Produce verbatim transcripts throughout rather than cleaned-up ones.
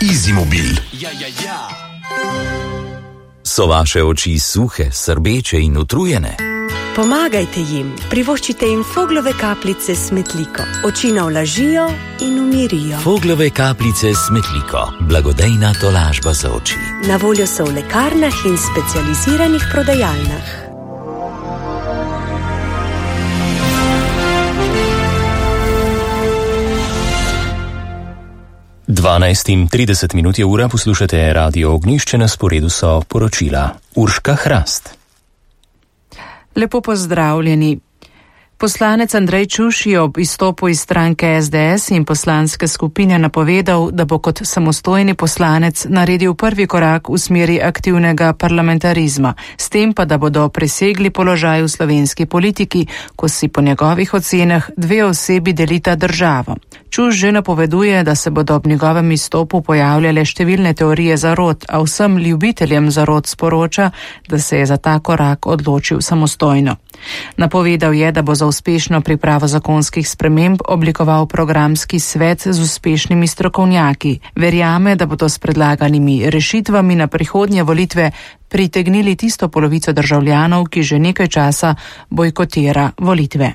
Izimobil. Ja, ja, ja. So vaše oči suhe, srbeče in utrujene? Pomagajte jim, privoščite jim Foglove kapljice s Smetliko. Oči navlažijo in umirijo. Foglove kapljice s Smetliko. Blagodejna tolažba za oči. Na voljo so v lekarnah in specializiranih prodajalnah. dvanajst in trideset minut je ura, poslušate Radio Ognjišče, na sporedu so poročila. Urška Hrast. Lepo pozdravljeni. Poslanec Andrej Čuš je ob izstopu iz stranke es de es in poslanske skupine napovedal, da bo kot samostojni poslanec naredil prvi korak v smeri aktivnega parlamentarizma, s tem pa, da bodo presegli položaj v slovenski politiki, ko si po njegovih ocenah dve osebi delita državo. Čuš že napoveduje, da se bodo ob njegovem izstopu pojavljale številne teorije zarot, a vsem ljubiteljem zarot sporoča, da se je za ta korak odločil samostojno. Napovedal je, da bo za uspešno pripravo zakonskih sprememb oblikoval programski svet z uspešnimi strokovnjaki. Verjame, da bodo s predlaganimi rešitvami na prihodnje volitve pritegnili tisto polovico državljanov, ki že nekaj časa bojkotira volitve.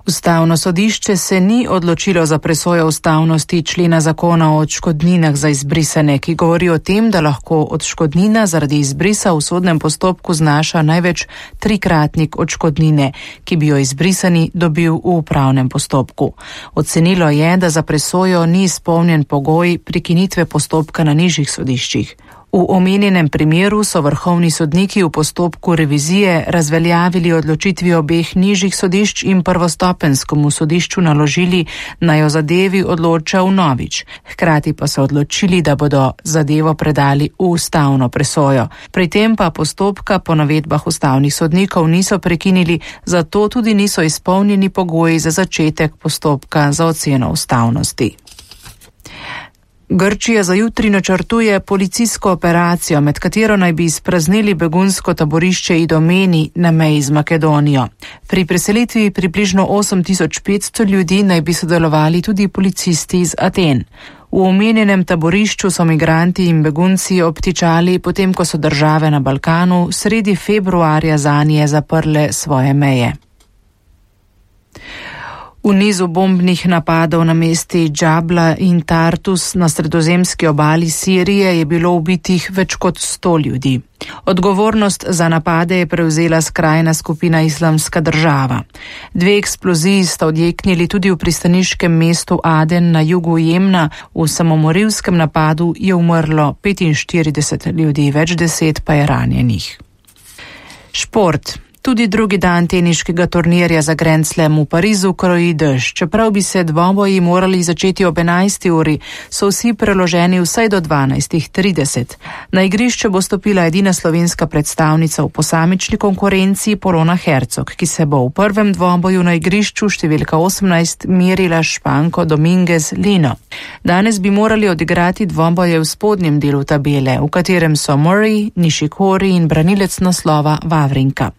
Ustavno sodišče se ni odločilo za presojo ustavnosti člena zakona o odškodninah za izbrisane, ki govori o tem, da lahko odškodnina zaradi izbrisa v sodnem postopku znaša največ trikratnik odškodnine, ki bi jo izbrisani dobil v upravnem postopku. Ocenilo je, da za presojo ni izpolnjen pogoj prekinitve postopka na nižjih sodiščih. V omenjenem primeru so vrhovni sodniki v postopku revizije razveljavili odločitvi obeh nižjih sodišč in prvostopenjskemu sodišču naložili, naj o zadevi odloča vnovič. Hkrati pa so odločili, da bodo zadevo predali v ustavno presojo. Pri tem pa postopka po navedbah ustavnih sodnikov niso prekinili, zato tudi niso izpolnjeni pogoji za začetek postopka za oceno ustavnosti. Grčija za jutri načrtuje policijsko operacijo, med katero naj bi izpraznili begunsko taborišče Idomeni na meji z Makedonijo. Pri preselitvi približno osem tisoč petsto ljudi naj bi sodelovali tudi policisti iz Aten. V omenjenem taborišču so migranti in begunci obtičali, potem ko so države na Balkanu sredi februarja zanje zaprle svoje meje. V nizu bombnih napadov na mesti Džabla in Tartus na sredozemski obali Sirije je bilo ubitih več kot sto ljudi. Odgovornost za napade je prevzela skrajna skupina Islamska država. Dve eksploziji sta odjeknili tudi v pristaniškem mestu Aden na jugu Jemna. V samomorilskem napadu je umrlo petinštirideset ljudi, več deset pa je ranjenih. Šport. Tudi drugi dan teniškega turnirja za Grand Slam v Parizu kroji dež. Čeprav bi se dvoboji morali začeti ob enajsti uri, so vsi preloženi vsaj do dvanajst trideset. Na igrišče bo stopila edina slovenska predstavnica v posamični konkurenci Polona Hercog, ki se bo v prvem dvoboju na igrišču številka osemnajst merila s Španko Dominguez Lino. Danes bi morali odigrati dvoboje v spodnjem delu tabele, v katerem so Murray, Nishikori in branilec naslova Wawrinka.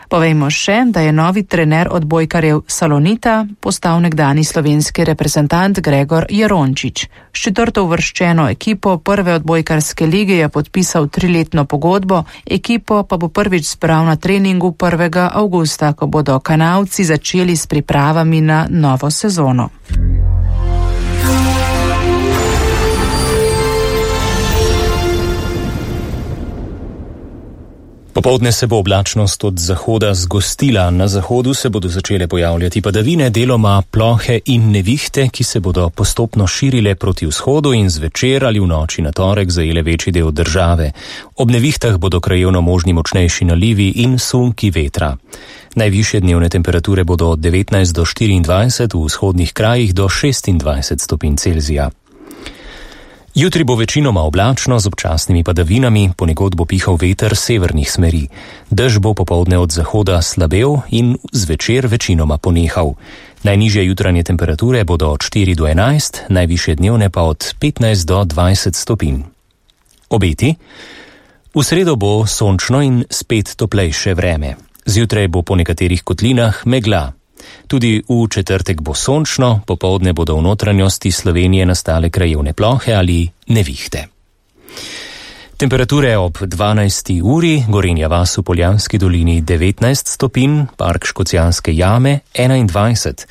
Povejmo še, da je novi trener odbojkarjev Salonita postal nekdani slovenski reprezentant Gregor Jerončič. S četrto uvrščeno ekipo prve odbojkarske lige je podpisal triletno pogodbo, ekipo pa bo prvič zbral na treningu prvega avgusta, ko bodo Kanavci začeli s pripravami na novo sezono. Popoldne se bo oblačnost od zahoda zgostila, na zahodu se bodo začele pojavljati padavine, deloma plohe in nevihte, ki se bodo postopno širile proti vzhodu in zvečer ali v noči na torek zajele večji del države. Ob nevihtah bodo krajevno možni močnejši nalivi in sunki vetra. Najvišje dnevne temperature bodo od devetnajst do štiriindvajset, v vzhodnih krajih do šestindvajset stopinj Celzija. Jutri bo večinoma oblačno z občasnimi padavinami, ponekod bo pihal veter severnih smeri. Dež bo popoldne od zahoda slabel in zvečer večinoma ponehal. Najnižje jutranje temperature bodo od štiri do enajst, najvišje dnevne pa od petnajst do dvajset stopinj. Obeti? V sredo bo sončno in spet toplejše vreme. Zjutraj bo po nekaterih kotlinah megla. Tudi v četrtek bo sončno, popoldne bodo v notranjosti Slovenije nastale krajevne plohe ali nevihte. Temperature ob dvanajsti uri, Gorenja vas v Poljanski dolini devetnajst stopinj, Park Škocjanske jame enaindvajset,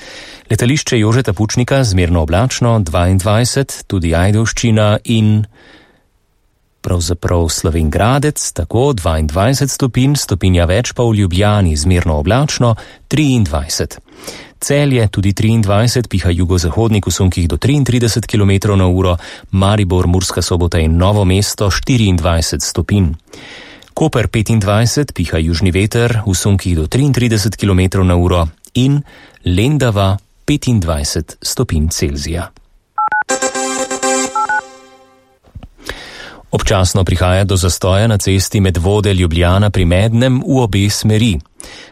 letališče Jožeta Pučnika zmerno oblačno dvaindvajset, tudi Ajdovščina in pravzaprav Slovenj Gradec, tako dvaindvajset stopinj, stopinja več pa v Ljubljani, zmerno oblačno triindvajset. Celje tudi triindvajset, piha jugozahodnik v sunkih do triintrideset kilometrov na uro, Maribor, Murska Sobota in Novo mesto štiriindvajset stopinj. Koper petindvajset, piha južni veter v sunkih do triintrideset kilometrov na uro in Lendava petindvajset stopinj Celzija. Občasno prihaja do zastoja na cesti Medvode Ljubljana pri Mednem v obe smeri.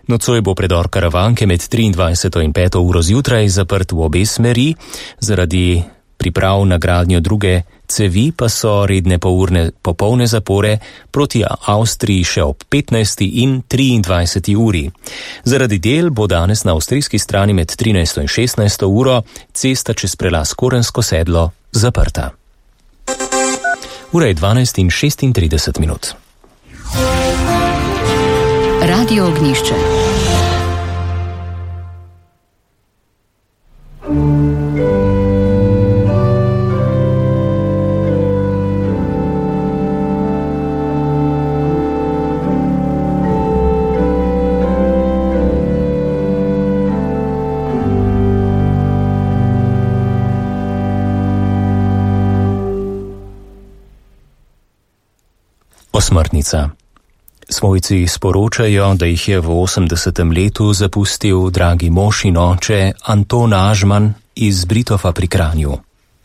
Nocoj bo predor Karavanke med triindvajseto in peto uro zjutraj zaprt v obe smeri, zaradi priprav na gradnjo druge cevi pa so redne polurne popolne zapore proti Avstriji še ob petnajsti in triindvajseti uri. Zaradi del bo danes na avstrijski strani med trinajsto in šestnajsto uro cesta čez prelaz Korensko sedlo zaprta. Ura je dvanajst in šestintrideset minut. Radio Ognjišče. Osmrtnica. Svojci sporočajo, da jih je v osemdesetem letu zapustil dragi mož in oče Anton Ažman iz Britova pri Kranju.